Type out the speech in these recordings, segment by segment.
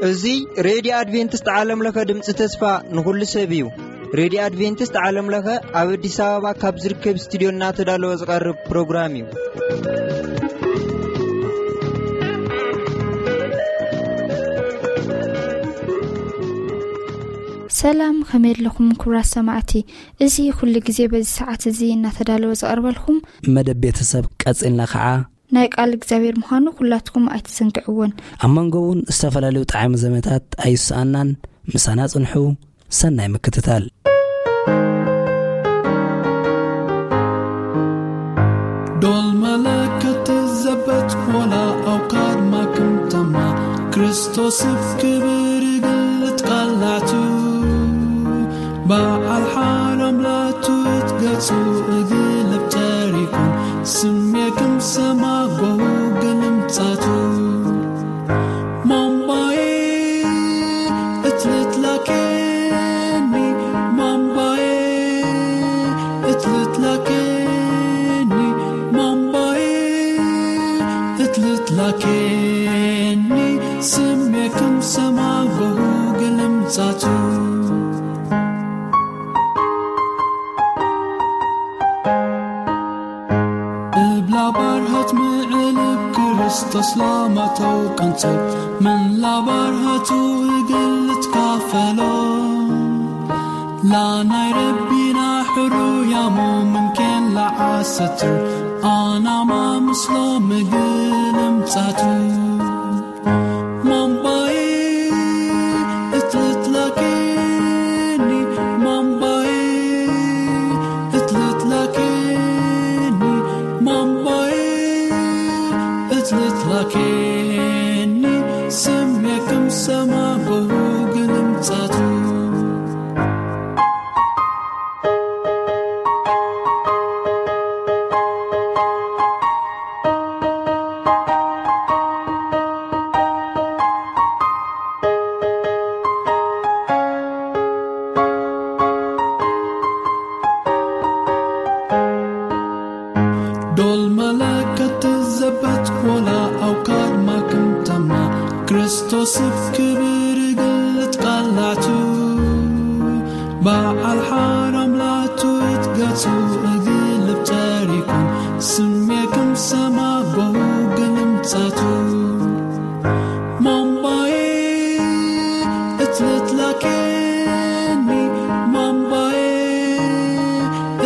እዚ ሬድዮ ኣድቬንቲስት ዓለም ለኸ ድምፂ ተስፋ ንኹሉ ሰብ እዩ። ሬድዮ ኣድቬንቲስት ዓለም ለኸ ኣብ ኣዲስ ኣበባ ካብ ዝርከብ ስቱዲዮ እናተዳለወ ዝቐርብ ፕሮግራም እዩ። ሰላም፣ ከመይ ኣለኹም ክቡራት ሰማዕቲ? እዚ ኩሉ ግዜ በዚ ሰዓት እዚ እናተዳለወ ዝቐርበልኩም መደብ ቤተሰብ ቀጺልና ኸዓ ናይ ቃል እግዚኣብሔር ምዃኑ ኩላትኩም ኣይትዘንግዕዎን። ኣብ መንጎ እውን ዝተፈላለዩ ጣዕሚ ዘመታት ኣይስኣናን። ምሳና ጽንሑ። ሰናይ ምክትታል። ዶል መለከት ዘበት ወላ ኣውካድ ማክምተማ ክርስቶስ ክብር ግልት ቃላቱ በዓል ሓራም ላቱ እትገጹ እግልብ ተሪኩ ስሜክም ሰማ ጎሁ ግልምጻቱ ማምባዬ እትልትላኬኒ ማምባዬ እትልትላኬኒ ማምባዬ እትልትላኬኒ ስሜክም ሰማ ጎሁ ግልምጻቱ እብላ ባርሃት ምዕልብ ክርስቶስ ላማተው ቀንጽብ ምን ላባርሃቱ እግል ትካፈሎ ላናይ ረቢና ሕሩያሞ ምንኬን ለዓሰትር ኣናማ ምስሎ ምግል እምጻቱ ማምባዬ እትልትላኬኒ ማምባዬ እትልትላኬኒ ማምባዬ እትልትላኬኒ ስሜክም ሰማ ጎሁ ግልምጻቱ ዶል መለከት ዘበት ወላ ኣውካድ ማክምተማ ክርስቶስ ክብር ግልት ቃላቱ በዓል ሓራም ላቱ እትገጹ እግልብ ተሪኩ ስሜክም ሰማ ጎሁ ግልምጻቱ ማምባዬ እትልትላኬኒ ማምባዬ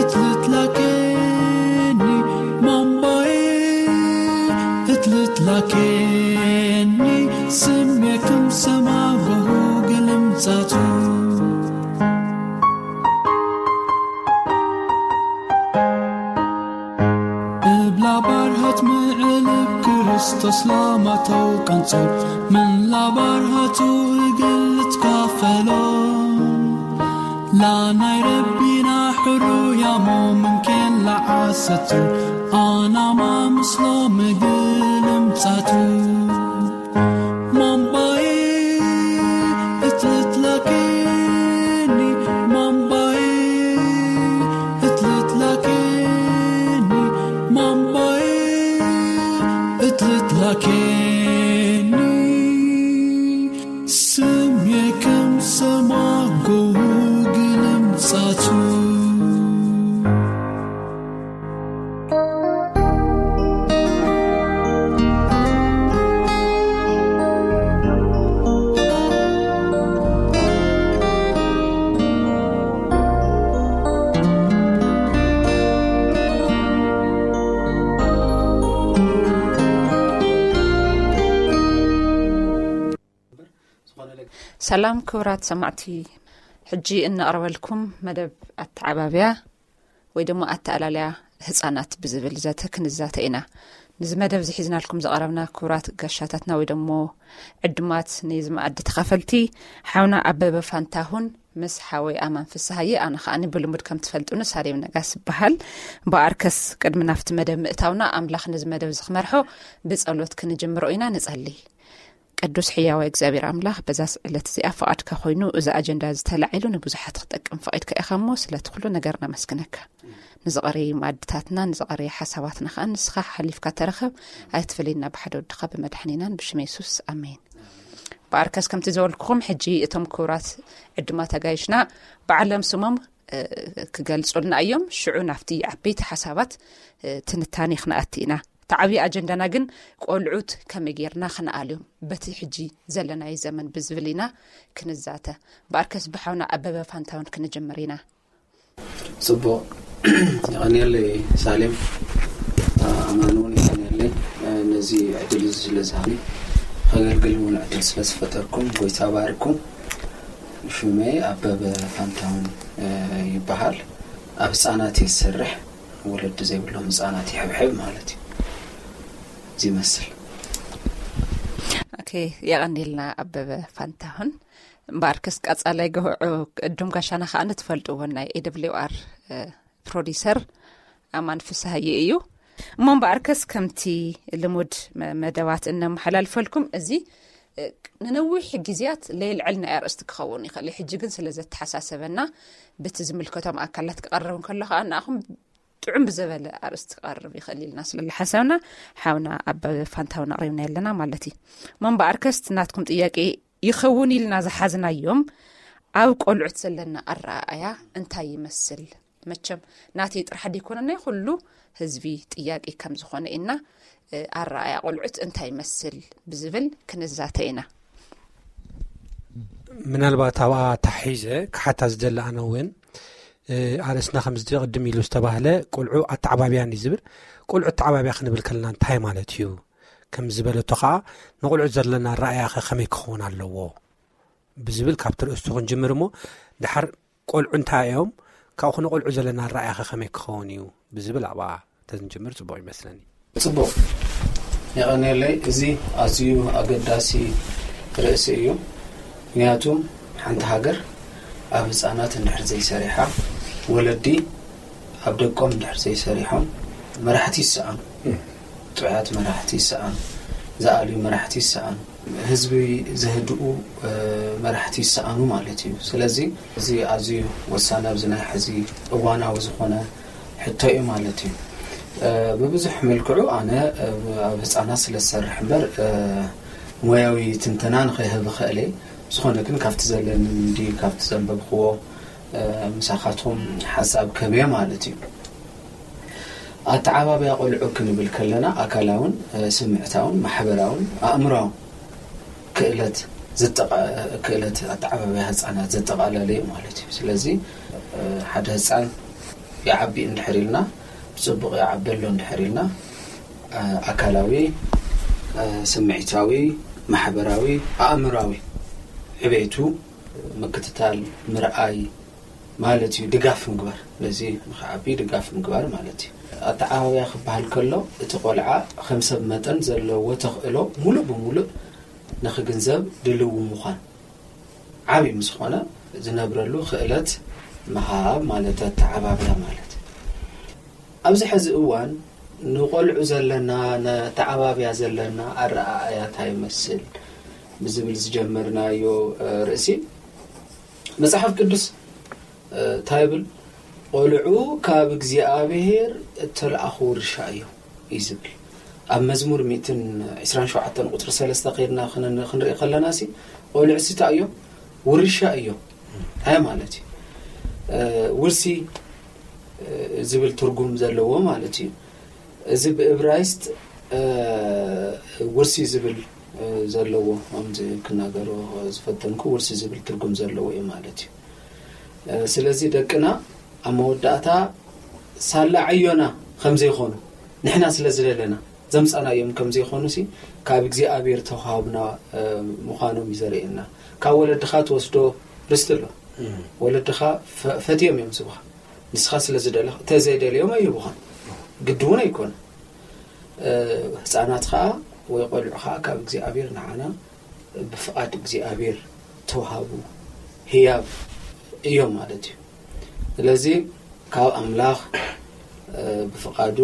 እትልትላኬኒ ማምባዬ እትልትላኬኒ ስሜክም ሰማ ጎሁ ግልምጻቱ እብላ ባርሃት ምዕልብ ክርስቶስ ላማተው ቀንጽብ ምን ላባርሃቱ እግል ትካፈሎ ላናይ ረቢና ሕሩያሞ ምንኬን ለዓሰቱ ኣናማ ምስሎ ምግል እምጻቱ ማምባዬ እትልትላኬኒ ማምባዬ እትልትላኬኒ ማምባዬ እትልትላኬኒ ስሜክም ሰማ ጎሁ ግልምጻቱ ሰላም ክቡራት ሰማዕቲ፣ ሕጂ እነቕርበልኩም መደብ ኣተዓባብያ ወይ ደሞ ኣተኣላልያ ህጻናት ብዝብል ዘተ ክንዛተ ኢና። ንዚ መደብ እዚ ሒዝናልኩም ዝቐረብና ክቡራት ጋሻታትና ወይ ደሞ ዕዱማት ናይዚ መኣዲ ተኻፈልቲ፣ ሓውና ኣበበ ፋንታሁን ምስ ሓወይ ኣማን ፍስሃየ፣ ኣነ ከኣኒ ብልሙድ ከም ትፈልጡኒ ሳሌም ነጋስ ይበሃል። ብኣርከስ ቅድሚ ናብቲ መደብ ምእታውና ኣምላኽ ነዚ መደብ እዚ ክመርሖ ብጸሎት ክንጅምሮ ኢና። ንጸሊ። ቅዱስ ሕያዋይ እግዚኣብሔር ኣምላኽ፣ በዛ ዕለት እዚኣ ፍቓድካ ኮይኑ እዚ ኣጀንዳ ዝተላዒሉ ንብዙሓት ክጠቅም ፈቒድካ ኢኻ እሞ፣ ስለቲ ኩሉ ነገር ነመስግነካ። ንዝቐረዩ መኣድታትና፣ ንዝቐረዩ ሓሳባትና ከኣ ንስኻ ሓሊፍካ ተረኸብ። ኣይትፈለየና ብሓደ ወድኻ ብመድሓኒናን ብሽም የሱስ፣ ኣሜን። በኣርከስ ከምቲ ዝበልኩኹም፣ ሕጂ እቶም ክቡራት ዕዱማት ኣጋይሽና ባዕሎም ስሞም ክገልጹልና እዮም። ሽዑ ናብቲ ዓበይቲ ሓሳባት ትንታኔ ክንኣቲ ኢና። እቲ ዓብዪ ኣጀንዳና ግን ቆልዑት ከመይ ጌርና ክንኣልዮም፣ በቲ ሕጂ ዘለናዮ ዘመን ብዝብል ኢና ክንዛተ። በኣርከስ ብሓውና ኣበበ ፋንታውን ክንጅምር ኢና። ጽቡቕ። የቐንየለይ ሳሌም፣ ኣማን እውን የቐንየለይ። ነዚ ዕድል እዚ ስለ ዝሃኒ፣ ከገልግል እውን ዕድል ስለ ዝፈጠርኩም ጎይታ ባርኩም። ሽመይ ኣበበ ፋንታውን ይበሃል። ኣብ ህፃናት እየ ዝሰርሕ። ወለዲ ዘይብሎም ህፃናት ይሕብሕብ ማለት እዩ። እዚ ይመስል። ኦኬ፣ የቐንየልና ኣበበ ፋንታሁን። እምበኣርከስ ቀጻላይ ግህዑ ቅዱም ጋሻና ከኣ ንትፈልጥዎ ናይ ኤ ደብሊው ኣር ፕሮዲሰር ኣማን ፍስሃየ እዩ። እሞ እምበኣርከስ ከምቲ ልሙድ መደባት እነመሓላልፈልኩም፣ እዚ ንነዊሕ ግዜያት ለየልዕልና ኣርእስቲ ክኸውን ይኽእል እዩ። ሕጂ ግን ስለ ዘተሓሳሰበና፣ ብቲ ዝምልከቶም ኣካላት ክቐርብ እንከሎ ከኣ ንኣኹም ጥዑም ብዘበለ ኣርእስቲ ክቐርብ ይኽእል ኢልና ስለ ዝሓሰብና፣ ሓውና ኣበበ ፋንታውን ኣቕሪብና ኣለና ማለት እዩ። እሞ እምበኣርከስ ናትኩም ጥያቄ ይኸውን ኢልና ዝሓዝናዮም፣ ኣብ ቆልዑት ዘለና ኣረኣእያ እንታይ ይመስል? መቸም ናተይ ጥራሕ ደይኮነ፣ ናይ ኩሉ ህዝቢ ጥያቄ ከም ዝኾነ ኢና። ኣረኣእያ ቆልዑት እንታይ ይመስል ብዝብል ክንዛተ ኢና። ምናልባት ኣብኣ ተሓሒዘ ክሓታ ዝደሊ ኣነ እውን፣ ኣርእስትና ከም ዝዲ ቅድም ኢሉ ዝተባህለ ቆልዑ ኣተዓባብያን እዩ ዝብል። ቆልዑ ኣተዓባብያ ክንብል ከለና እንታይ ማለት እዩ ከም ዝበለቶ ከዓ፣ ንቆልዑ ዘለና ኣረኣእያ ከ ከመይ ክኸውን ኣለዎ ብዝብል ካብቲ ርእስቱ ክንጅምር እሞ፣ ድሓር ቆልዑ እንታይ እዮም፣ ካብኡ ንቆልዑ ዘለና ኣረኣእያ ከ ከመይ ክኸውን እዩ ብዝብል ኣብኣ ተዝንጅምር ጽቡቕ ይመስለኒ። ጽቡቕ፣ የቐንየለይ። እዚ ኣዝዩ ኣገዳሲ ርእሲ እዩ። ምክንያቱ ሓንቲ ሃገር ኣብ ህፃናት እንድሕር ዘይሰሪሓ፣ ወለዲ ኣብ ደቆም እንድሕር ዘይሰሪሖም፣ መራሕቲ ይሰኣኑ። ጥዑያት መራሕቲ ይሰኣኑ፣ ዝኣልዩ መራሕቲ ይሰኣኑ፣ ህዝቢ ዘህድኡ መራሕቲ ይሰኣኑ ማለት እዩ። ስለዚ እዚ ኣዝዩ ወሳኒ፣ ኣብዚ ናይ ሕዚ እዋናዊ ዝኾነ ሕቶ እዩ ማለት እዩ። ብብዙሕ መልክዑ ኣነ ኣብ ህፃናት ስለ ዝሰርሕ እምበር፣ ሞያዊ ትንተና ንኸይህብ እኽእል እየ። ዝኾነ ግን ካብቲ ዘለኒ ልምዲ፣ ካብቲ ዘንበብክዎ፣ ምሳኻትኩም ሓሳብ ከብየ ማለት እዩ። ኣተዓባብያ ቆልዑ ክንብል ከለና ኣካላውን፣ ስምዕታውን፣ ማሕበራውን፣ ኣእምራውን ክእለት ዝጠቓ-፣ ክእለት ኣተዓባብያ ህፃናት ዘጠቓለለ እዩ ማለት እዩ። ስለዚ ሓደ ህፃን ይዓቢ እንድሕር ኢልና፣ ብፅቡቕ ይዓቢ ኣሎ እንድሕር ኢልና፣ ኣካላዊ፣ ስምዒታዊ፣ ማሕበራዊ፣ ኣእምራዊ ዕቤቱ ምክትታል፣ ምርኣይ ማለት እዩ። ድጋፍ ምግባር፣ ነዚ ንኽዓቢ ድጋፍ ምግባር ማለት እዩ። ኣተዓባብያ ክበሃል ከሎ፣ እቲ ቆልዓ ከም ሰብ መጠን ዘለዎ ተኽእሎ ሙሉእ ብሙሉእ ንኽግንዘብ ድልው ምዃን፣ ዓብዪ ምስ ኾነ ዝነብረሉ ክእለት ምሃብ ማለት ኣተዓባብያ ማለት። ኣብዚ ሕዚ እዋን ንቆልዑ ዘለና፣ ነተዓባብያ ዘለና ኣረኣእያ እንታይ ይመስል ብዝብል ዝጀመርናዮ፣ እ፣ ርእሲ፣ መጽሓፍ ቅዱስ፣ እ፣ እንታይ ይብል? "ቆልዑ ካብ እግዚኣብሔር እተለኣኹ ውርሻ እዮም" እዩ ዝብል። ኣብ መዝሙር ሚእትን ዕስራን ሸውዓተን ቁጽሪ ሰለስተ ከይድና ክን-፣ ክንርኢ ከለና ሲ፣ ቆልዑ ሲ እንታይ እዮም? ውርሻ እዮም። እንታይ ማለት እዩ? እ፣ ውርሲ፣ እ፣ ዝብል ትርጉም ዘለዎ ማለት እዩ። እዚ ብእብራይስጥ፣ እ፣ ውርሲ ዝብል፣ እ፣ ዘለዎ፣ ከምዚ ክናገሮ ዝፈተንኩ፣ ውርሲ ዝብል ትርጉም ዘለዎ እዩ ማለት እዩ። እ፣ ስለዚ ደቅና ኣብ መወዳእታ ሳላ ዕዮና ከም ዘይኾኑ፣ ንሕና ስለ ዝደለና ዘምጻናዮም ከም ዘይኾኑ ሲ፣ ካብ እግዚኣብሔር ተዋሃብና፣ እ፣ ምዃኖም እዩ ዘርእየና። ካብ ወለድኻ ትወስዶ ርስቲ ኣሎ። እም። ወለድኻ ፈ-፣ ፈትዮም እዮም ዝህቡኻ። ንስኻ ስለ ዝደለኻ፣ እንተ ዘይደልዮም ኣይህቡኻን። ግዲ እውን ኣይኮነ። እ፣ ህፃናት ኸዓ ወይ ቆልዑ ኸዓ ካብ እግዚኣብሔር ንዓና ብፍቓድ እግዚኣብሔር ተዋሃቡ ህያብ እዮም ማለት እዩ። ስለዚ ካብ ኣምላኽ፣ እ፣ ብፍቓዱ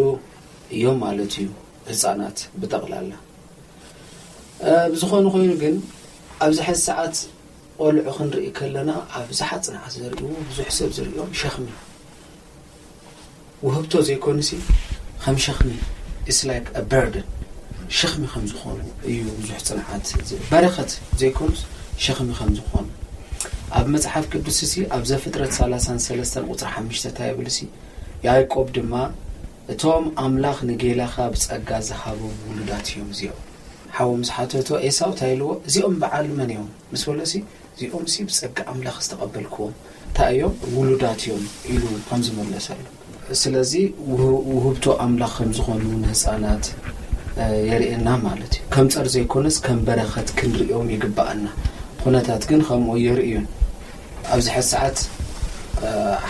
እዮም ማለት እዩ ህፃናት ብጠቕላላ። ብዝኾነ ኮይኑ ግን ኣብዚ ሕዚ ሰዓት ቆልዑ ክንርኢ ከለና ኣብዝሓ ፅንዓት ዘርእዎ ብዙሕ ሰብ ዝርእዮም ሸኽሚ ውህብቶ ዘይኮኑሲ ከም ሸኽሚ it's like a burden ሸኽሚ ከም ዝኾኑ እዩ ብዙሕ ፅንዓት በረኸት ዘይኮኑስ ሸኽሚ ከም ዝኾኑ ኣብ መፅሓፍ ቅዱስ ሲ ኣብ ዘፍጥረት ሰላሳን ሰለስተን ቁፅሪ ሓሙሽተ እንታይ ይብል ሲ ያዕቆብ ድማ እቶም ኣምላኽ ንጌላኻ ብጸጋ ዝሃቦም ውሉዳት እዮም እዚኦም። ሓው ምስ ሓተቶ ኤሳው እንታይ ኢልዎ? እዚኦም በዓል መን እዮም? ምስ በሎሲ እዚኦም ሲ ብጸጋ ኣምላኽ ዝተቐበልክዎም እንታይ እዮም? ውሉዳት እዮም ኢሉ ከም ዝመለሰሉ። ስለዚ ውህ- ውህብቶ ኣምላኽ ከም ዝኾኑ ንህፃናት እ፣ የርእየና ማለት እዩ። ከም ጸር ዘይኮነስ ከም በረኸት ክንርእዮም ይግባኣና። ኩነታት ግን ከምኡ የርእዩን። ኣብዚ ሕዚ ሰዓት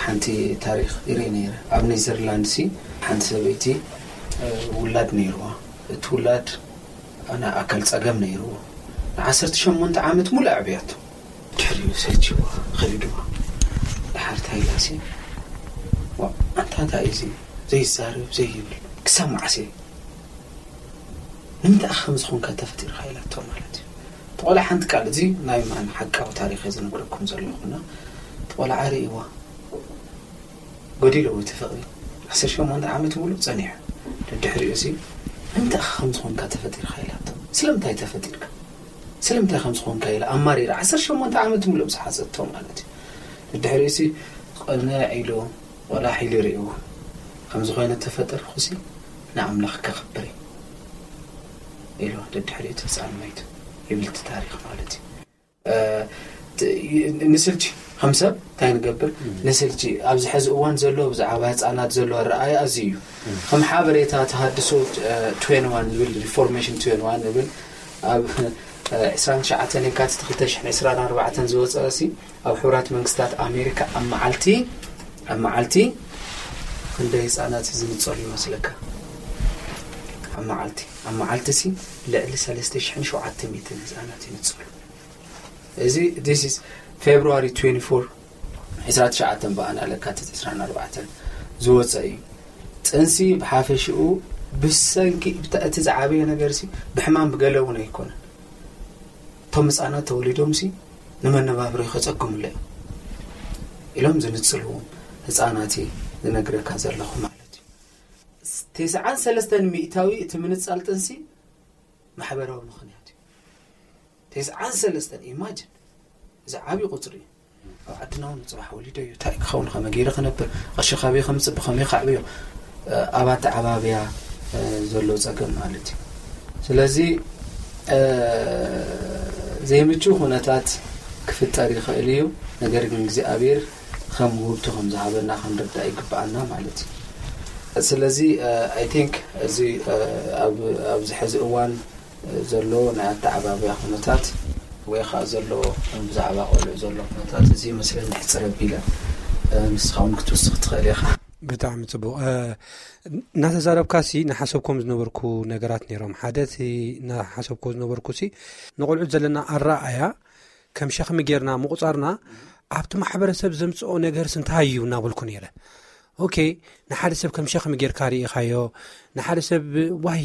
ሓንቲ ታሪክ ይርኢ ነይረ ኣብ ኔዘርላንድ ሲ ሓንቲ ሰበይቲ ውላድ ነይርዋ እቲ ውላድ ናይ ኣካል ጸገም ነይርዎ ንዓሰርተ ሸሞንተ ዓመት ሙሉእ ኣዕብያቶ ድሕሪኡ ሰልችዋ ከቢድዋ ድሓር ታይላ ሲ ኣንታ እንታይ እዩ ዘይዛረብ ዘይብል ክሳብ መዓስ ንምንታይ ከም ዝኾንካ ተፈጢርካ ኢላቶ ማለት እዩ ተቆላ ሓንቲ ቃል እዚ ናይ ማን ሓቃዊ ታሪክ ዝነግረኩም ዘለኹና ተቆላ ዓሪእዋ ጎዲሎ እቲ ፍቕሪ ዓሰርተ ሸሞንተ ዓመት ሙሉእ ጸኒሑ ድድሕሪኡ ሲ እንታይ ከም ዝኾንካ ተፈጢርካ ኢላቶ ስለምንታይ ተፈጢርካ ስለምንታይ ከም ዝኾንካ ኢላ ኣማሪራ ዓሰርተ ሸሞንተ ዓመት ሙሉእ ዝሓዘቶ ማለት እዩ ድድሕሪኡ ሲ ቅንዕ ኢሉ ቆላሕ ኢሉ ይርእዎ ከም ዝኾነ ተፈጠርኩ ሲ ንኣምላኽ ከኽብር ኢሉ ድድሕሪኡ እቲ ህፃን መይቱ ይብል እቲ ታሪክ ማለት እዩ ንስልቺ ከም ሰብ እንታይ ንገብር ንስልቺ ኣብዚ ሕዚ እዋን ዘሎ ብዛዕባ ህፃናት ዘሎ ኣረኣያ ኣዚ እዩ ከም ሓበሬታ ተሃድሶ ትዌንዋን ዝብል ሪፎርሜሽን ትዌንዋን ዝብል ኣብ ዕስራን ትሽዓተን የካቲት ክልተ ሽሕን ዕስራን ኣርባዕተን ዝወፀ ሲ ኣብ ሕቡራት መንግስታት ኣሜሪካ ኣብ መዓልቲ ኣብ መዓልቲ ክንደይ ህፃናት ዝንፀሉ ይመስለካ ኣብ መዓልቲ ኣብ መዓልቲ ሲ ልዕሊ ሰለስተ ሽሕን ሸውዓተ ሚእትን ህፃናት ይንፀሉ እዚ this is February twenty-four ዕስራን ትሽዓተን በኣና ለካቲት ዕስራን ኣርባዕተን ዝወፀ እዩ ጥንሲ ብሓፈሽኡ ብሰንኪ እቲ ዝዓበየ ነገር ሲ ብሕማም ብገለ እውን ኣይኮነን እቶም ህፃናት ተወሊዶም ሲ ንመነባብሮ ከፀግሙለ ኢሎም ዝንፅልዎም ህፃናት ዝነግረካ ዘለኹ ማለት እዩ ተስዓን ሰለስተን ሚእታዊ እቲ ምንፃል ጥንሲ ማሕበራዊ ምኽንያት እዩ ተስዓን ሰለስተን ኢማጅን እዚ ዓብዪ ቁፅሪ እዩ ኣብ ዓድና እውን ፅባሕ ወሊዶ እዩ እንታይ ክኸውን ከመይ ገይረ ክነብር ቅርሺ ካበይ ከምፅእ ብኸመይ ካዕብዮ ኣብ ኣተዓባብያ ዘሎ ፀገም ማለት እዩ ስለዚ ዘይምቹ ኩነታት ክፍጠር ይኽእል እዩ ነገር ግን እግዚኣብሔር ከም ውህብቲ ከም ዝሃበና ክንርዳእ ይግብኣና ማለት እዩ ስለዚ I think እዚ ኣብዚ ሕዚ እዋን ዘሎ ናይ ኣተዓባብያ ኩነታት ወይ ከዓ ዘሎ ብዛዕባ ቆልዑ ዘሎ ኩነታት እዚ መስለኒ ሕፅር ኣቢለ ንስኻ እውን ክትውስኽ ትኽእል ኢኻ ብጣዕሚ ፅቡቅ እናተዛረብካ ሲ ናሓሰብኮም ዝነበርኩ ነገራት ነይሮም ሓደ እቲ ናሓሰብኮ ዝነበርኩ ሲ ንቆልዑት ዘለና ኣረኣያ ከም ሸኽሚ ጌርና ምቁፃርና ኣብቲ ማሕበረሰብ ዘምፅኦ ነገርስ እንታይ እዩ እናበልኩ ነይረ ኦኬ ንሓደ ሰብ ከም ሸኽሚ ጌርካ ርኢኻዮ ንሓደ ሰብ ዋይ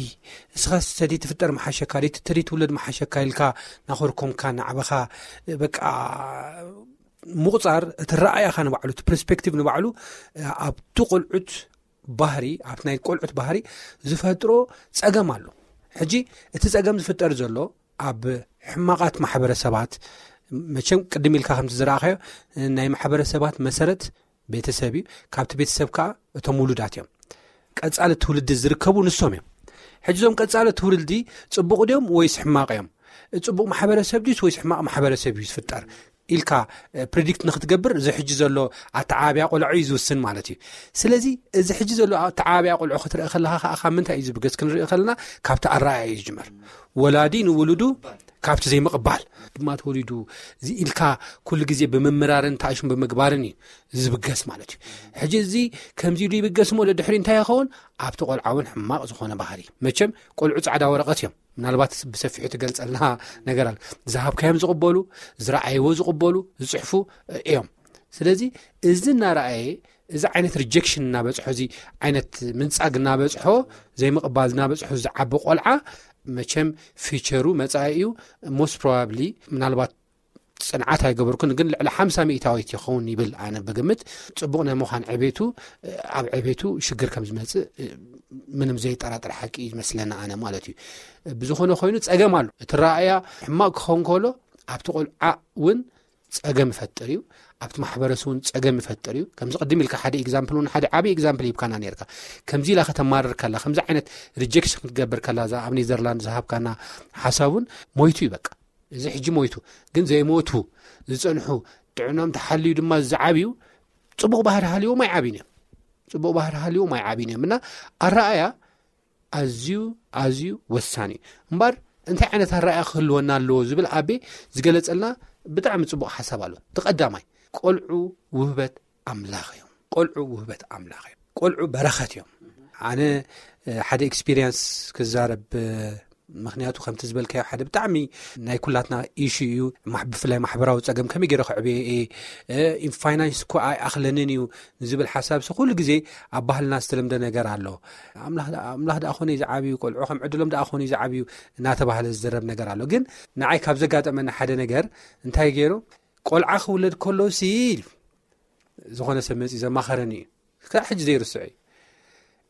እስኻስ ተደይ ትፍጠር መሓሸካ ደይ ተደይ ትውለድ መሓሸካ ኢልካ ናኾርኮምካ ናዕበኻ በቃ ምቁፃር እቲ ረኣያኻ ንባዕሉ እቲ ፐርስፔክቲቭ ንባዕሉ ኣብቲ ቆልዑት ባህሪ ኣብቲ ናይ ቆልዑት ባህሪ ዝፈጥሮ ፀገም ኣሎ ሕጂ እቲ ፀገም ዝፍጠር ዘሎ ኣብ ሕማቓት ማሕበረሰባት መቸም ቅድም ኢልካ ከምቲ ዝረኣኸዮ ናይ ማሕበረሰባት መሰረት ቤተሰብ እዩ ካብቲ ቤተሰብ ከዓ እቶም ውሉዳት እዮም ቀፃሊ ትውልዲ ዝርከቡ ንሶም እዮም ሕጂ ዞም ቀፃሊ ትውልዲ ፅቡቕ ድዮም ወይስ ሕማቕ እዮም ፅቡቕ ማሕበረሰብ ድዩስ ወይስ ሕማቕ ማሕበረሰብ እዩ ዝፍጠር ኢልካ ፕሪዲክት ንክትገብር እዚ ሕጂ ዘሎ ኣተዓባብያ ቆልዑ እዩ ዝውስን ማለት እዩ ስለዚ እዚ ሕጂ ዘሎ ኣተዓባብያ ቆልዑ ክትርኢ ከለካ ከዓ ካብ ምንታይ እዩ ዝብገስ ክንርኢ ከለና ካብቲ ኣረኣያ እዩ ዝጅመር ወላዲ ንውሉዱ ካብቲ ዘይምቕባል ድማ ተወሊዱ ኢልካ ኩሉ ግዜ ብምምራርን ታእሽም ብምግባርን እዩ ዝብገስ ማለት እዩ ሕጂ እዚ ከምዚ ኢሉ ይብገስ እሞ ደድሕሪ እንታይ ይኸውን ኣብቲ ቆልዓ እውን ሕማቕ ዝኾነ ባህሪ መቸም ቆልዑ ፃዕዳ ወረቐት እዮም ምናልባት ብሰፊሑ ትገልፀልና ነገር ኣለ ዝሃብካዮም ዝቕበሉ ዝረኣይዎ ዝቕበሉ ዝፅሕፉ እዮም ስለዚ እዚ እናረኣየ እዚ ዓይነት ሪጀክሽን እናበፅሖ እዚ ዓይነት ምንፃግ እናበፅሖ ዘይምቕባል እናበፅሖ ዝዓቢ ቆልዓ መቸም ፊቸሩ መጻኢኡ most probably ምናልባት ጽንዓት ኣይገበርኩን፣ ግን ልዕሊ ሓምሳ ሚእታዊት ይኸውን ይብል። ኣነ ብግምት ጽቡቕ ናይ ምዃን ዕቤቱ ኣብ ዕቤቱ ሽግር ከም ዝመጽእ ምንም ዘይጠራጠር ሓቂ እዩ ዝመስለና ኣነ ማለት እዩ። ብዝኾነ ኮይኑ ጸገም ኣሎ። እቲ ረኣያ ሕማቕ ክኸውን ከሎ ኣብቲ ቆልዓ እውን ጸገም ይፈጥር እዩ። ኣብቲ ማሕበረሰብ እውን ጸገም ይፈጥር እዩ። ከምዚ ቅድም ኢልካ ሓደ ኤግዛምፕል እውን ሓደ ዓብዪ ኤግዛምፕል ሂብካና ነርካ። ከምዚ ኢላ ከተማርር ከላ፣ ከምዚ ዓይነት ሪጀክሽን ክትገብር ከላ፣ እዛ ኣብ ኔዘርላንድ ዝሃብካና ሓሳብ እውን ሞይቱ እዩ በቃ። እዚ ሕጂ ሞይቱ ግን ዘይሞቱ ዝጸንሑ ጥዕኖም ተሓልዩ ድማ ዝዓብዩ ጽቡቕ ባህሪ ሃልዎም ኣይዓብዩን እዮም። ጽቡቕ ባህሪ ሃልዎም ኣይዓብዩን እዮም እና ኣረኣያ ኣዝዩ ኣዝዩ ወሳኒ እዩ። እምበር እንታይ ዓይነት ኣረኣያ ክህልወና ኣለዎ ዝብል ኣቤ ዝገለጸልና ብጣዕሚ ጽቡቕ ሓሳብ ኣሎ። እቲ ቀዳማይ ቆልዑ ውህበት ኣምላኽ እዮም። ቆልዑ ውህበት ኣምላኽ እዮም። ቆልዑ በረኸት እዮም። ኣነ ሓደ ኤክስፒሪየንስ ክዛረብ ምክንያቱ ከምቲ ዝበልካዮ ሓደ ብጣዕሚ ናይ ኩላትና ኢሹ እዩ። ብፍላይ ማሕበራዊ ጸገም ከመይ ገይረ ክዕብየ እየ፣ ፋይናንስ እኮ ኣይኣኽለንን እዩ ንዝብል ሓሳብ ሲ ኩሉ ግዜ ኣብ ባህልና ዝተለምደ ነገር ኣሎ። ኣምላኽ ደኣ ኮነ ዝዓብዩ፣ ቆልዑ ከም ዕድሎም ደኣ ኮነ ዝዓብዩ እናተባህለ ዝዝረብ ነገር ኣሎ። ግን ንዓይ ካብ ዘጋጠመኒ ሓደ ነገር እንታይ ገይሩ፣ ቆልዓ ክውለድ ከሎ ሲ ዝኾነ ሰብ መጺ ዘማኸረኒ እዩ። ክሳዕ ሕጂ ዘይርስዑ እዩ።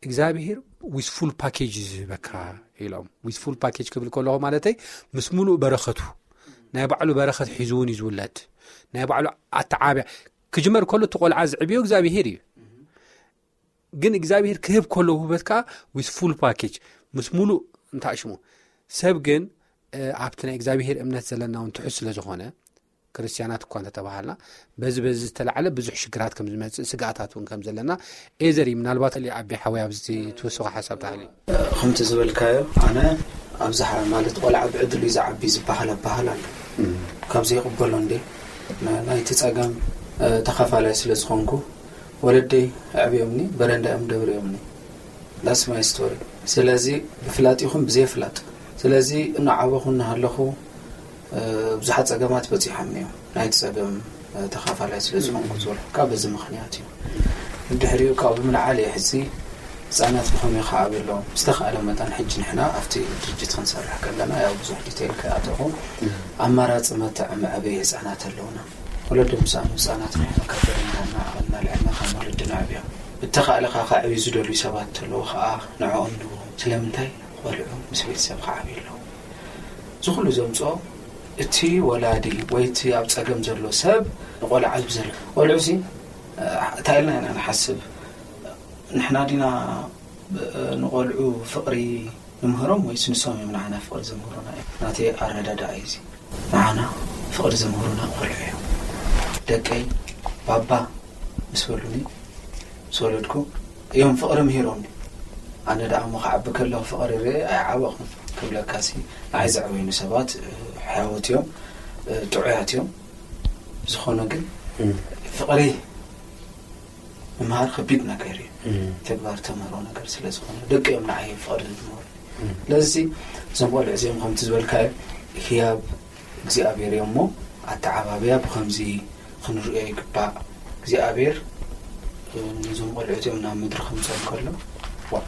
እግዚኣብሔር ዊዝ ፉል ፓኬጅ እዩ ዝህበካ ኢሎም። ዊዝ ፉል ፓኬጅ ክብል ከለኹ ማለተይ ምስ ሙሉእ በረኸቱ፣ ናይ ባዕሉ በረኸት ሒዙ እውን እዩ ዝውለድ። ናይ ባዕሉ ኣተዓብያ ክጅመር ከሎ እቲ ቆልዓ ዝዕብዮ እግዚኣብሔር እዩ። ግን እግዚኣብሔር ክህብ ከሎ ውህበት ከዓ ዊዝ ፉል ፓኬጅ ምስ ሙሉእ እንታሽሙ ሰብ ግን ኣብቲ ናይ እግዚኣብሔር እምነት ዘለና እውን ትሑት ስለ ዝኾነ ክርስትያናት እኳ እንተተባሃልና በዚ በዚ ዝተላዕለ ብዙሕ ሽግራት ከም ዝመፅእ ስግኣታት እውን ከም ዘለና ኤዘር እዩ። ምናልባት ሊ ኣቢ ሓወይ ኣብዚ ትወስኾ ሓሳብ ተሃልዩ። ከምቲ ዝበልካዮ ኣነ ኣብዝሓ ማለት ቆልዓ ብዕድሉ እዩ ዝዓቢ ዝበሃል ኣበሃል ኣሎ። ካብ ዘይቕበሎ እንዴ ናይቲ ፀገም ተኻፋላይ ስለ ዝኾንኩ ወለደይ ኣዕብዮምኒ በረንዳ እዮም ደብርዮምኒ። ዳስ ማይ ስቶሪ። ስለዚ ብፍላጥ ይኹን ብዘይፍላጥ ስለዚ እናዓበኹ እናሃለኹ ብዙሓት ጸገማት በጺሖም እዮም። ናይቲ ጸገም ተኻፋላይ ስለ ዝኾንኩ ዝበልኩካ በዚ ምኽንያት እዩ። ድሕሪኡ ካብኡ ብምልዓል እየ ሕዚ ህጻናት ብኸመይ ክዓብዩ ኣለዎም ዝተኻእለ መጠን ሕጂ ንሕና ኣብቲ ድርጅት ክንሰርሕ ከለና ያው ብዙሕ ዲቴይል ከይኣተኹ ኣማራጺ መተዕ መዕበይ ህጻናት ኣለውና። ወለዲ ምስ ኣኑ ህጻናት ንሕና ካብ በረንዳ እናልዐልና ከም ወለዲ ነዕብዮም። ብተኻእለ ከዓ ከዕብዩ ዝደልዩ ሰባት እንተለዉ ከዓ ንዕኦም ንህቦም። ስለምንታይ ቆልዑ ምስ ቤተሰብ ክዓብዩ ኣለዎም። እዚ ኩሉ ዘምፅኦ እቲ ወላዲ ወይ እቲ ኣብ ፀገም ዘሎ ሰብ ንቆልዓ ዝብዘለ ቆልዑ ሲ እንታይ ኢልና ኢና ንሓስብ? ንሕና ዲና ንቆልዑ ፍቕሪ ንምህሮም ወይስ ንሶም እዮም ንዓና ፍቕሪ ዘምህሩና እዮም? ናተይ ኣረዳድኣ እዩ እዚ። ንዓና ፍቕሪ ዘምህሩና ቆልዑ እዮም። ደቀይ ባባ ምስ በሉኒ ምስ ወለድኩ እዮም ፍቕሪ ምሂሮምኒ። ኣነ ደኣ እሞ ክዓቢ ከለኹ ፍቕሪ ርኤ ኣይዓበኹን ክብለካሲ ንዓይ ዘዕበዩኒ ሰባት ሕያወት እዮም፣ ጥዑያት እዮም። ዝኾነ ግን ፍቕሪ ምምሃር ከቢድ ነገር እዩ። ተግባር ተምህሮ ነገር ስለ ዝኾነ ደቂ እዮም ንዓይ ፍቕሪ ዝምህሩ። ስለዚ እዞም ቆልዑ እዚኦም ከምቲ ዝበልካዮ ህያብ እግዚኣብሔር እዮም እሞ ኣተዓባብያ ብኸምዚ ክንርእዮ ይግባእ። እግዚኣብሔር ነዞም ቆልዑ እዚኦም ናብ ምድሪ ከምፅኦም ከሎ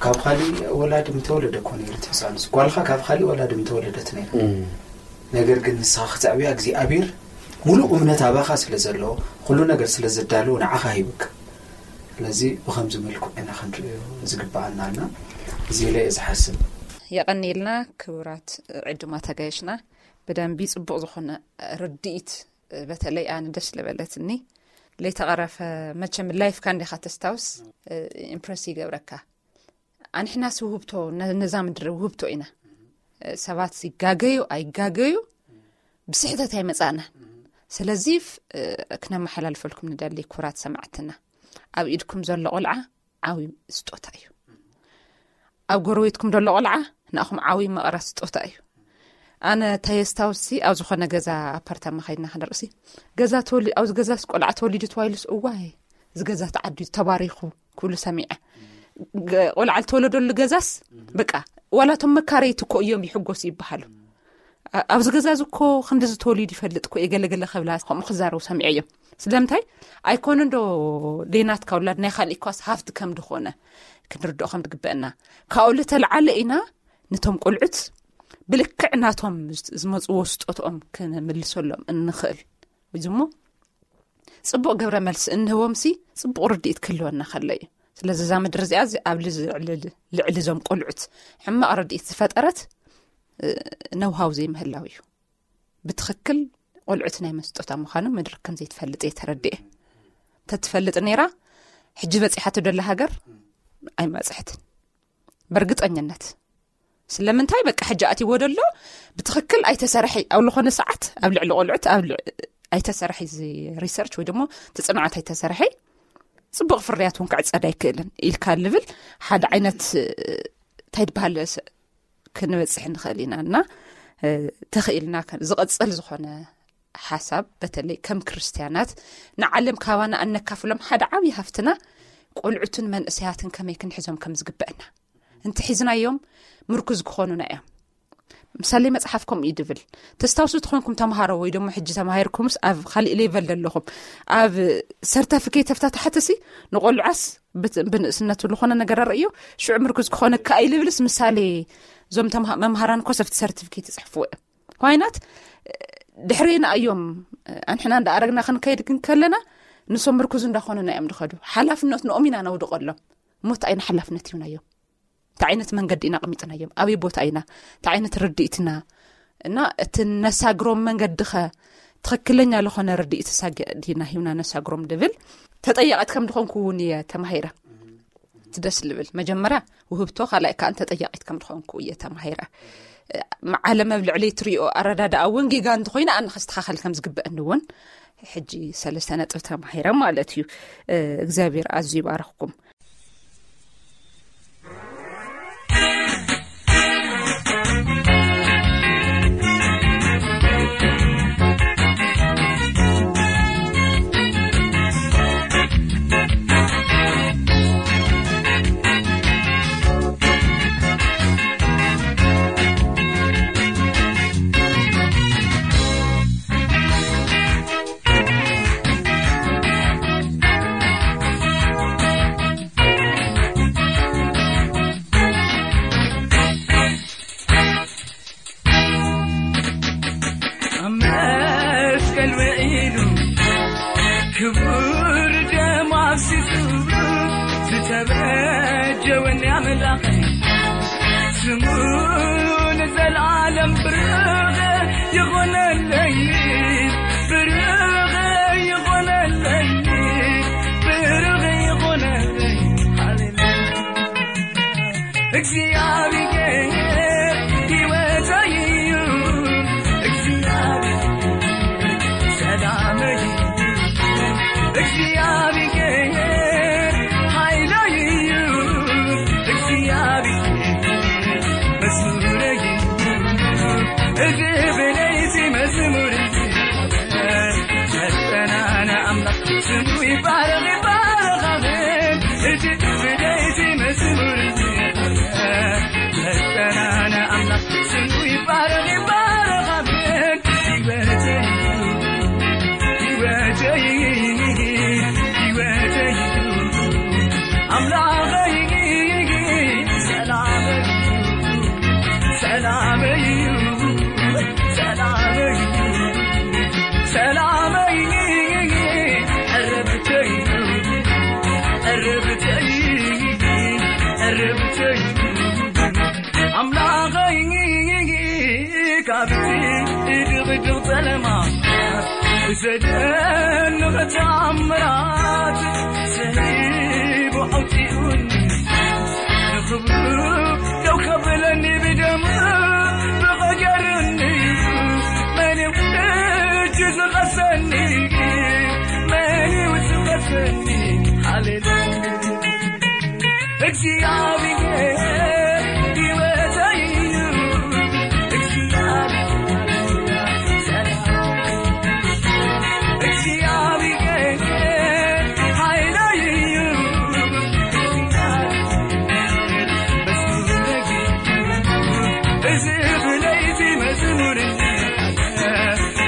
ካብ ካሊእ ወላዲ ምተወለደ እኮ ነይሩ እቲ ህፃንስ ጓልካ ካብ ካሊእ ወላዲ ምተወለደት ነይሩ። ነገር ግን ንስኻ ክተዕብያ እግዚኣብሔር ሙሉእ እምነት ኣባኻ ስለ ዘለዎ ኩሉ ነገር ስለ ዘዳለዎ ንዓኻ ሂብካ። ስለዚ ብኸምዚ መልክዑ ኢና ክንርእዮ ዝግብኣና ኣልና እዚ ኢለ እየ ዝሓስብ። የቐንየልና ክቡራት ዕዱማት ኣጋይሽና ብደንቢ ፅቡቕ ዝኾነ ርድኢት በተለይ ኣነ ደስ ለበለትኒ ለይተቐረፈ መቸም ላይፍካ እንዲኻ ተስታውስ ኢምፕረስ ይገብረካ። ኣንሕናስ ውህብቶ ነዛ ምድሪ ውህብቶ ኢና። ሰባት ይጋገዩ ኣይጋገዩ ብስሕተት ኣይመጻእናን። ስለዚ ክነመሓላልፈልኩም ንደሊ ክቡራት ሰማዕትና ኣብ ኢድኩም ዘሎ ቆልዓ ዓብዪ ስጦታ እዩ። ኣብ ጎረቤትኩም ዘሎ ቆልዓ ንኣኹም ዓብዪ መቐረት ስጦታ እዩ። ኣነ ተየስታውሲ ኣብ ዝኾነ ገዛ ኣፓርታማ ኸይድና ክንርሲ ገዛ ተወሊ ኣብዚ ገዛስ ቆልዓ ተወሊዱ ተባሂሉስ እዋይ እዚ ገዛ ተዓዲዩ ተባሪኹ ክብሉ ሰሚዐ። ቆልዓ ዝተወለደሉ ገዛስ በቃ ዋላ እቶም መካረይቲ እኮ እዮም ይሕጎሱ ይበሃሉ። ኣብዚ ገዛ እዚ እኮ ክንድዚ ተወሊዱ ይፈልጥ እኮ እየ ገለገለ ከብላ ከምኡ ክዛረቡ ሰሚዐ እዮም። ስለምንታይ ኣይኮነ እንዶ ደይናትካ ውላድ ናይ ካልእ እኳስ ሃፍቲ ከም ድኾነ ክንርድኦ ከም ዝግበአና ካብኡ ልተልዓለ ኢና ነቶም ቆልዑት ብልክዕ ናቶም ዝመፅዎ ስጦትኦም ክንምልሰሎም እንኽእል እዚ እሞ፣ ፅቡቕ ግብረ መልሲ እንህቦምሲ ፅቡቕ ርድኢት ክህልወና ከሎ እዩ። ስለዚ እዛ ምድሪ እዚኣ እዚ ኣብ ልዕሊ ልዕሊ እዞም ቆልዑት ሕማቕ ርድኢት ዝፈጠረት፣ ነውሃው ዘይምህላው እዩ። ብትኽክል ቆልዑት ናይ መስጦታ ምዃኑ ምድሪ ከም ዘይትፈልጥ እየ ተረድኤ። ተትፈልጥ ነይራ፣ ሕጂ በፂሓቶ ደላ ሃገር ኣይመፅሕትን። በእርግጠኝነት። ስለምንታይ በቃ ሕጂ ኣትይዎ ደሎ ብትኽክል ኣይተሰርሐ፣ ኣብ ዝኾነ ሰዓት ኣብ ልዕሊ ቆልዑት ኣብ ልዕ- ኣይተሰርሐ እዚ ሪሰርች ወይ ደሞ እቲ ፅንዓት ኣይተሰርሐ፣ ፅቡቕ ፍርያት እውን ክዕፀድ ኣይክእልን ኢልካ ልብል ሓደ ዓይነት እንታይ ድበሃል ክንበፅሕ ንኽእል ኢና እና ተኽኢልና ዝቐፅል ዝኾነ ሓሳብ፣ በተለይ ከም ክርስትያናት ንዓለም ካባና ኣነካፍሎም ሓደ ዓብዪ ሃፍትና ቆልዑትን መንእሰያትን ከመይ ክንሕዞም ከም ዝግበአና እንተ ሒዝናዮም ምርኩዝ ክኾኑና እዮም። ምሳሌ መፅሓፍ ከምኡ እዩ ድብል። ተስታውሱ ትኾንኩም ተምሃሮ ወይ ደሞ ሕጂ ተማሂርኩምስ ኣብ ካሊእ ሌቨል ዘለኹም ኣብ ሰርተፊኬት ተፍታታሕትሲ ንቆልዓስ ብንእስነቱ ዝኾነ ነገር ኣርእዮ ሽዑ ምርኩዝ ክኾነ ከኣ ኢልብልስ ምሳሌ እዞም መምሃራን ኮሰፍቲ ሰርቲፊኬት ይፅሕፍዎ እዮም። ዋይናት ድሕሬና እዮም። ኣንሕና እንዳኣረግና ክንከይድ ግን ከለና ንሶም ምርኩዝ እንዳኾኑና እዮም ድኸዱ። ሓላፍነት ንኦም ኢና ነውድቐሎም። ሞት ኣይና ሓላፍነት ይሁናዮም። እንታይ ዓይነት መንገዲ ኢና ኣቐሚጥናዮም? ኣበይ ቦታ ኢና? እንታይ ዓይነት ርድኢትና? እና እቲ ነሳግሮም መንገዲ ኸ ትኽክለኛ ዝኾነ ርድኢት ሳጊ ዲና ሂብና ነሳግሮም ድብል ተጠያቂት ከም ድኾንኩ እውን እየ ተማሂረ። እቲ ደስ ልብል መጀመርያ ውህብቶ፣ ካልኣይ ከዓ ተጠያቂት ከም ድኾንኩ እየ ተማሂረ። ዓለም ኣብ ልዕሊ ትሪኦ ኣረዳድኣ እውን ጌጋ እንተኾይነ ኣነ ከስተኻኸል ከም ዝግበአኒ እውን ሕጂ ሰለስተ ነጥብ ተማሂረ ማለት እዩ። እግዚኣብሔር ኣዝዩ ይባረኽኩም። ኣብ መስቀል ውዒሉ ክቡር ደሙ ኣፍሲሱ ዝተበጀወኒ ኣምላኸይ፣ ስሙ ንዘለዓለም ብሩኽ ይኾነለይ፣ ብሩኽ ይኾነለይ፣ ብሩኽ ይኾነለይ። ሃሌሉያ። እግዚኣብሔር ሕይወተይ እዩ፣ እግዚኣብሔር ሰላመይ እዩ፣ እግዚኣብሔር ሓይለይ እዩ፣ እግዚኣብሔር መዝሙረይ እዩ። እዚ ብለይቲ መዝሙር እዩ፣ መጠናና ኣምላኽ ስሙ ይባረኽ፣ ይባረኽ፣ ኣሜን። እቲ ብለይቲ መዝሙር መጠናና ኣምላኽ ስሙ ይባረኽ፣ ይባረኽ፣ ኣሜን። ህይወተይ፣ ህይወተይ፣ ህይወተይ፣ ኣምላኸይ፣ ሰላመይ፣ ሰላመይ፣ ሰላመይ፣ ሰላመይ፣ ዕረፍተይ፣ ዕረፍተይ፣ ዕረፍተይ፣ ኣምላኸይ ካብቲ ድቕድቕ ጸለማ ብዘደንቕ ተኣምራት ሰሊቡ ኣውጺኡኒ። ንኽብሩ ደው ከብለኒ ብደሙ ብቐየሩኒ። መን እዩ ሕጂ ዝኸሰኒ? መን እዩ ዝኸሰኒ? ሃሌሉያ። እግዚኣብሔር ሕይወተይ እዩ። እግዚኣብሔር ሰላም። እግዚኣብሔር ሓይለይ እዩ። እግዚኣብሔር መዝሙረይ እዩ። እዚ ብለይቲ መዝሙር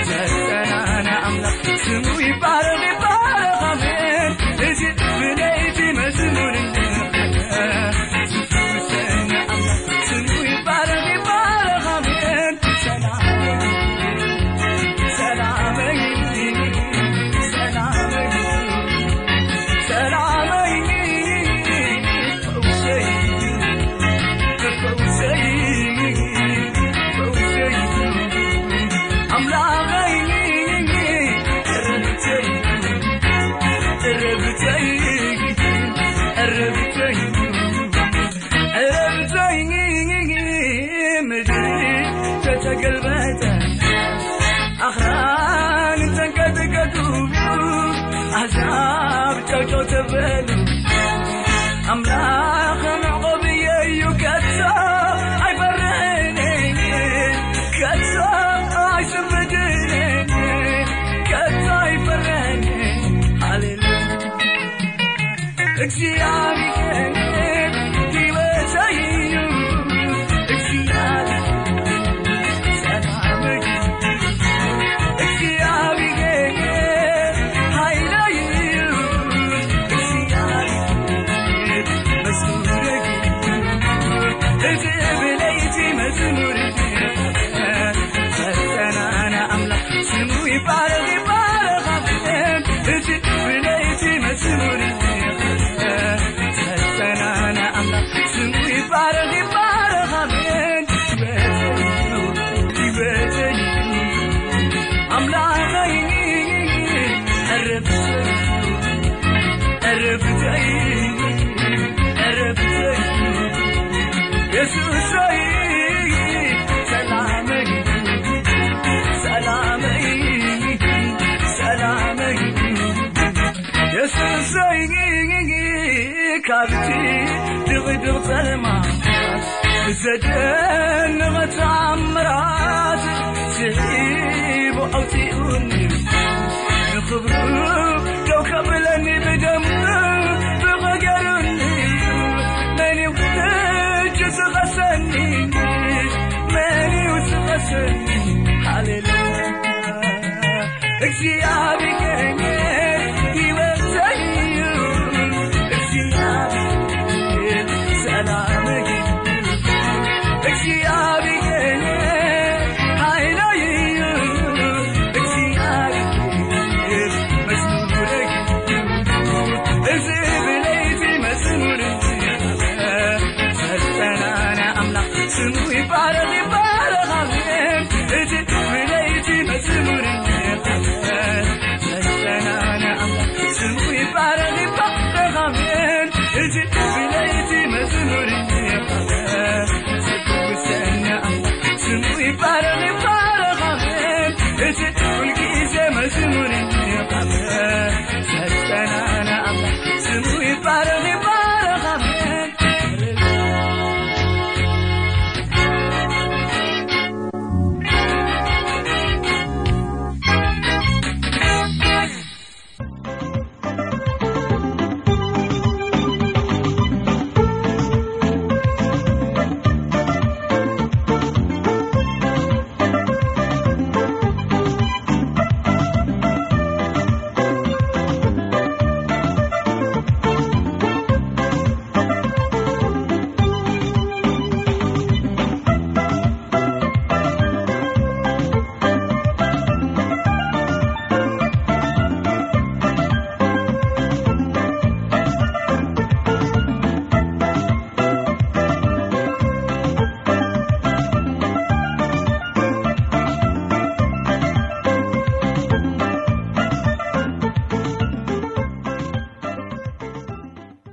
መጠናና ኣምላኽ ስሙ ይባረኽ፣ ይባረኽ፣ ኣሜን። እዚ ብለይቲ መዝሙር ኣምላኽ መዕቆብየይ እዩ፣ ከቶ ኣይፈርሕን፣ ከቶ ኣይስንብድን፣ ከቶ ኣይፈርሕን። ሃሌሉያ። እግዚኣብሔር ህይወተይ እዩ፣ እግዚኣብሔር ሰላመይ እዩ፣ እግዚኣብሔር ሓይለይ እዩ፣ እግዚኣብሔር መዝሙረይ እዩ። እዚ ብለይቲ መዝሙር እዩ፣ ዘጸናና ኣምላኽ ስሙ ይባረኽ፣ ይባረኽ፣ ኣሜን። እዚ ብለይቲ መዝሙር እዩ፣ ዘጸናና ኣምላኽ ስሙ ይባረኽ፣ ይባረኽ፣ ኣሜን። ህይወተይ እዩ፣ ህይወተይ እዩ፣ ኣምላኸይ ዕረፍተይ እዩ፣ ዕረፍተይ እዩ፣ ዕረፍተይ እዩ። የሱሰይ ሰላመይ፣ ሰላመይ፣ ሰላመይ። የሱሰይ ካብቲ ድቕድቕ ጸልማት ብዘደንቕ ተኣምራት ስሒቡ ኣውጺኡኒ። ንኽብሩ ደው ከብለኒ ብደሙ ብቐገሩኒ። መን እዩ ሕጂ ዝኸሰኒ? መን እዩ ዝኸሰኒ? ሃሌሉያ። እግዚኣብሔር ህይወተይ እዩ፣ እግዚኣብሔር ሰላመይ እዩ፣ እግዚኣብሔር ሓይለይ እዩ፣ እግዚኣብሔር መዝሙረይ እዩ። እዚ ብለይቲ መዝሙር እዩ፣ ዘጸናና ኣምላኽ ስሙ ይባረኽ፣ ይባረኽ፣ ኣሜን። እዚ ብለይቲ መዝሙር እዩ፣ ዘጸናና ኣምላኽ ስሙ ይባረኽ፣ ይባረኽ፣ ኣሜን። እዚ